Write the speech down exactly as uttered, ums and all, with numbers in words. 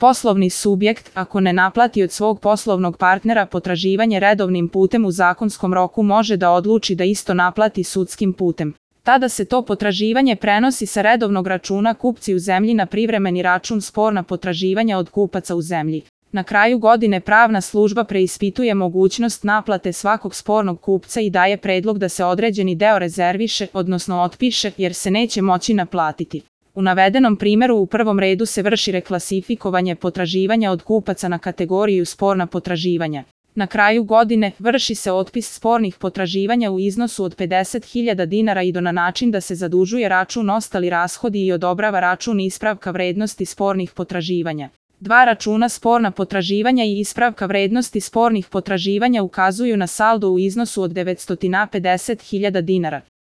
Poslovni subjekt, ako ne naplati od svog poslovnog partnera potraživanje redovnim putem u zakonskom roku, može da odluči da isto naplati sudskim putem. Tada se to potraživanje prenosi sa redovnog računa kupci u zemlji na privremeni račun sporna potraživanja od kupaca u zemlji. Na kraju godine pravna služba preispituje mogućnost naplate svakog spornog kupca i daje predlog da se određeni deo rezerviše, odnosno otpiše, jer se neće moći naplatiti. U navedenom primjeru u prvom redu se vrši reklasifikovanje potraživanja od kupaca na kategoriju sporna potraživanja. Na kraju godine vrši se otpis spornih potraživanja u iznosu od pedeset hiljada dinara i do na način da se zadužuje račun ostali rashodi i odobrava račun ispravka vrednosti spornih potraživanja. Dva računa sporna potraživanja i ispravka vrednosti spornih potraživanja ukazuju na saldo u iznosu od devetsto pedeset hiljada dinara.